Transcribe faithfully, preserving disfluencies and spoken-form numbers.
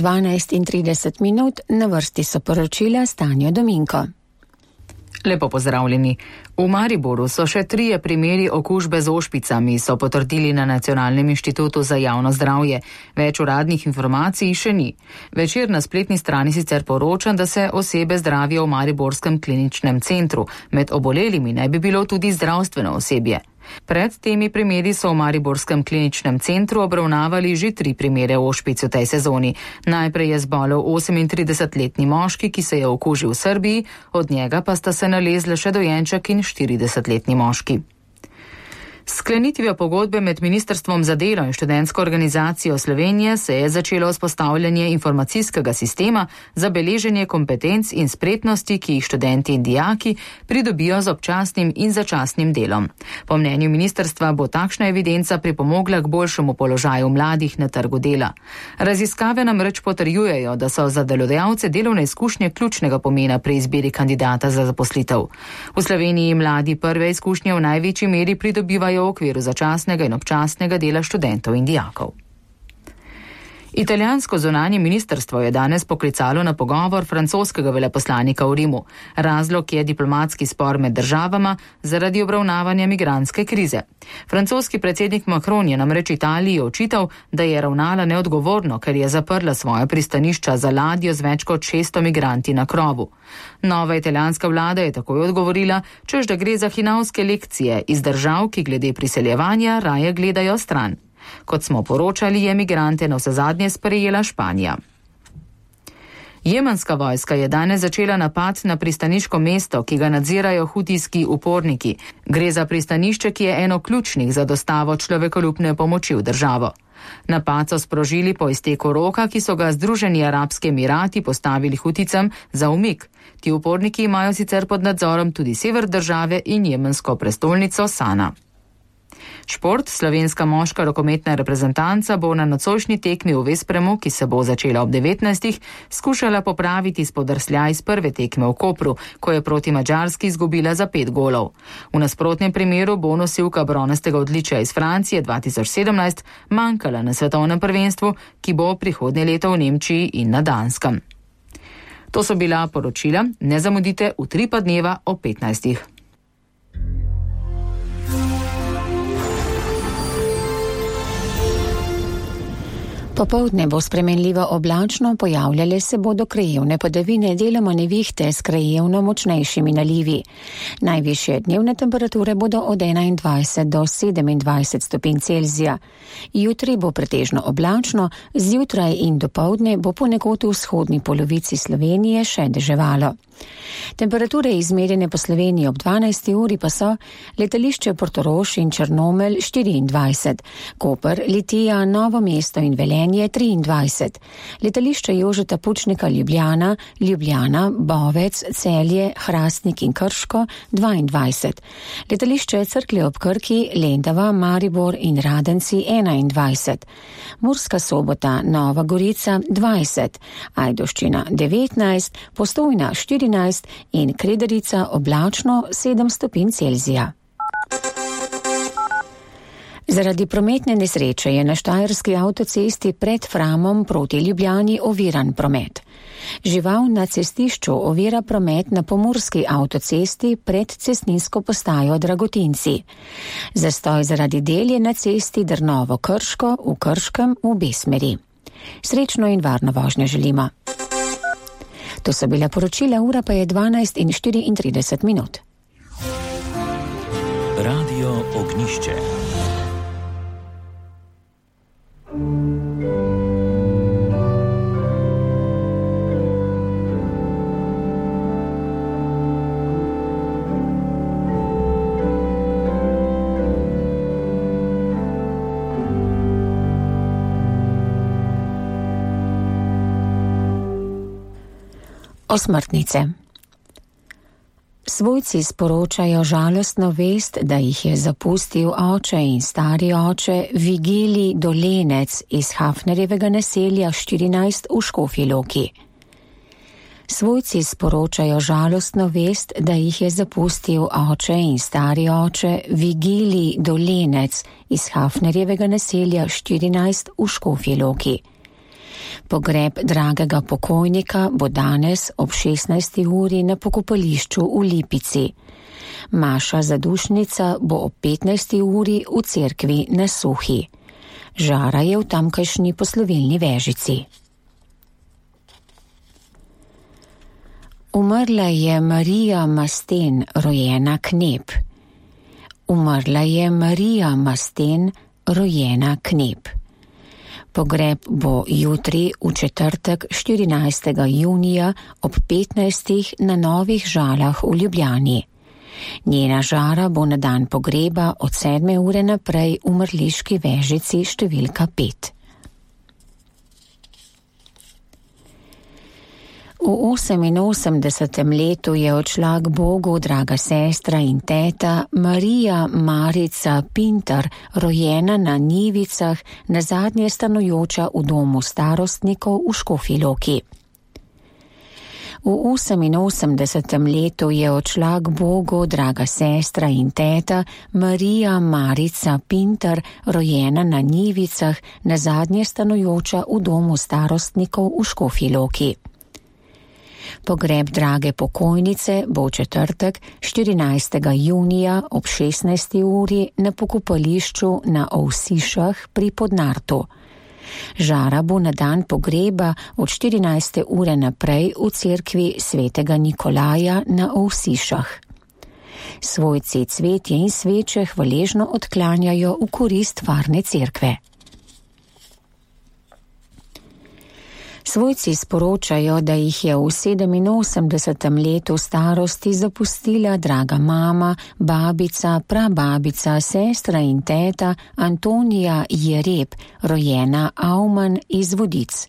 dvanajst in trideset minut, na vrsti so poročila Stanjo Dominko. Lepo pozdravljeni. V Mariboru so še trije primeri okužbe z ošpicami, so potrdili na Nacionalnem inštitutu za javno zdravje. Več uradnih informacij še ni. Večer na spletni strani sicer poroča, da se osebe zdravijo v Mariborskem kliničnem centru. Med obolelimi naj bi bilo tudi zdravstveno osebje. Pred temi primeri so v Mariborskem kliničnem centru obravnavali že tri primere ošpic v tej sezoni. Najprej je zbolel osemintridesetletni moški, ki se je okužil v Srbiji, od njega pa sta se nalezle še dojenček in štiridesetletni moški. Sklenitvijo pogodbe med Ministrstvom za delo in Študentsko organizacijo Slovenije se je začelo vzpostavljanje informacijskega sistema za beleženje kompetenc in spretnosti, ki jih študenti in dijaki pridobijo z občasnim in začasnim delom. Po mnenju ministrstva bo takšna evidenca pripomogla k boljšemu položaju mladih na trgu dela. Raziskave namreč potrjujejo, da so za delodajalce delovne izkušnje ključnega pomena pri izbiri kandidata za zaposlitev. V Sloveniji mladi prve izkušnje v največji meri pridobivajo v okviru začasnega in občasnega dela študentov in dijakov. Italijansko zunanje ministrstvo je danes poklicalo na pogovor francoskega veleposlanika v Rimu. Razlog je diplomatski spor med državama zaradi obravnavanja migrantske krize. Francoski predsednik Macron je namreč Italiji očital, da je ravnala neodgovorno, ker je zaprla svoje pristanišča za ladjo z več kot šeststo migranti na krovu. Nova italijanska vlada je takoj odgovorila, češ da gre za hinavske lekcije iz držav, ki glede priseljevanja raje gledajo stran. Kot smo poročali, je migrante navsezadnje sprejela Španija. Jemenska vojska je danes začela napad na pristaniško mesto, ki ga nadzirajo hutijski uporniki. Gre za pristanišče, ki je eno ključnih za dostavo človekoljubne pomoči v državo. Napad so sprožili po izteku roka, ki so ga Združeni arabski emirati postavili Huticam za umik. Ti uporniki imajo sicer pod nadzorom tudi sever države in jemensko prestolnico Sana. Šport, slovenska moška rokometna reprezentanca bo na nocojšnji tekmi v Vespremu, ki se bo začela ob devetnajstih, skušala popraviti spodrsljaj iz prve tekme v Kopru, ko je proti Madžarski izgubila za pet golov. V nasprotnem primeru bo nosilka bronastega odličja iz Francije dva tisoč sedemnajst manjkala na svetovnem prvenstvu, ki bo prihodnje leto v Nemčiji in na Danskem. To so bila poročila, ne zamudite v tri pa dneva ob petnajstih. Popoldne bo spremenljivo oblačno, pojavljale se bodo krajevne padavine, deloma nevihte s krajevno močnejšimi nalivi. Najvišje dnevne temperature bodo od enaindvajset do sedemindvajset stopinj Celzija. Jutri bo pretežno oblačno, zjutraj in dopoldne bo ponekod v vzhodni polovici Slovenije še deževalo. Temperature izmerjene po Sloveniji ob dvanajsti uri pa so letališče Portorož in Črnomelj štiriindvajset, Koper, Litija, Novo mesto in Velenje triindvajset, letališče Jožeta Pučnika Ljubljana, Ljubljana, Bovec, Celje, Hrastnik in Krško dvaindvajset, letališče Cerklje ob Krki, Lendava, Maribor in Radenci enaindvajset, Murska Sobota, Nova Gorica dvajset, Ajdovščina devetnajst, Postojna štirinajst in Kredarica oblačno sedem stopinj Celzija. Zaradi prometne nesreče je na štajerski avtocesti pred Framom proti Ljubljani oviran promet. Žival na cestišču ovira promet na pomurski avtocesti pred cestninsko postajo Dragotinci. Zastoj zaradi del je na cesti Drnovo-Krško v Krškem v obe smeri. Srečno in varno vožnjo želimo. To so bila poročila, ura pa je dvanajst in štiriintrideset minut. Radio Ognišče. Osmrtnice. Svojci sporočajo žalostno vest, da jih je zapustil oče in stari oče Vigilij Dolenec iz Hafnerjevega naselja štirinajst v Škofji Loki. Svojci sporočajo žalostno vest, da jih je zapustil oče in stari oče Vigilij Dolenec iz Hafnerjevega naselja štirinajst v Škofji Loki. Pogreb dragega pokojnika bo danes ob šestnajsti uri na pokopališču v Lipici. Maša zadušnica bo ob petnajsti uri v cerkvi na Suhi. Žara je v tamkajšnji poslovilni vežici. Umrla je Marija Masten, rojena Knep. Umrla je Marija Masten, rojena Knep. Pogreb bo jutri v četrtek štirinajstega junija ob petnajstih na Novih Žalah v Ljubljani. Njena žara bo na dan pogreba od sedme ure naprej v mrliški vežici številka pet. V oseminosemdesetem letu je odšla k Bogu draga sestra in teta Marija Marica Pintar, rojena na Njivicah, nazadnje stanujoča v domu starostnikov v Škofji Loki. V oseminosemdesetem letu je odšla k Bogu draga sestra in teta Marija Marica Pintar, rojena na Njivicah, nazadnje stanujoča v domu starostnikov v Škofji Loki. Pogreb drage pokojnice bo v četrtek štirinajstega junija ob šestnajsti uri na pokopališču na Ovsišah pri Podnartu. Žara bo na dan pogreba od štirinajste ure naprej v cerkvi svetega Nikolaja na Ovsišah. Svojci cvetje in sveče hvaležno odklanjajo v korist varne cerkve. Svojci sporočajo, da jih je v sedeminosemdesetem letu starosti zapustila draga mama, babica, prababica, sestra in teta Antonija Jereb, rojena Auman iz Vodic.